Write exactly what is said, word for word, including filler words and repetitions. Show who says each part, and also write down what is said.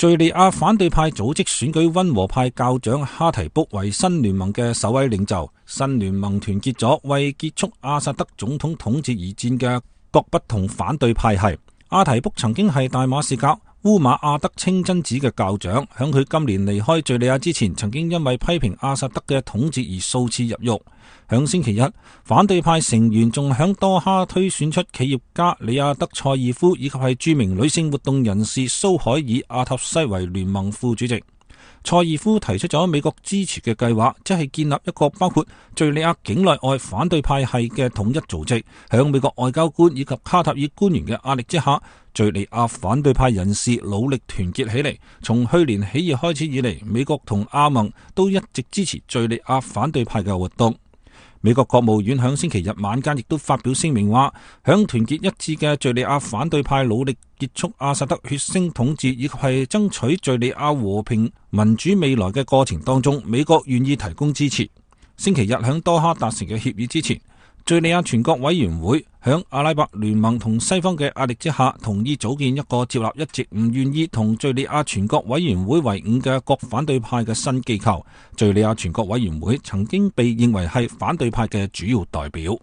Speaker 1: 敘利亞反對派組織選舉溫和派教長哈提卜為新聯盟嘅首位領袖。新聯盟團結咗為結束阿薩德總統統治而戰嘅各不同反對派系。阿提卜曾經係大馬士革烏馬阿德清真寺嘅教長，響佢今年離開敘利亞之前，曾經因為批評阿薩德嘅統治而數次入獄。響星期一，反對派成員仲響多哈推選出企業家里亞德塞爾夫以及係著名女性活動人士蘇海爾阿塔西為聯盟副主席。塞爾夫提出咗美國支持嘅計劃，即係建立一個包括敘利亞境內外反對派系嘅統一組織。響美國外交官以及卡塔爾官員嘅壓力之下，敘利亞反對派人士努力團結起嚟。從去年起義開始以嚟，美國同阿盟都一直支持敘利亞反對派嘅活動。美國國務院響星期日晚間亦都發表聲明話，響團結一致嘅敘利亞反對派努力結束阿薩德血腥統治以及係爭取敘利亞和平民主未來嘅過程當中，美國願意提供支持。星期日響多哈達成嘅協議之前，敘利亞全國委員會響阿拉伯聯盟同西方嘅壓力之下，同意組建一個接納一直唔願意同敘利亞全國委員會為伍嘅各反對派嘅新機構。敘利亞全國委員會曾經被認為係反對派嘅主要代表。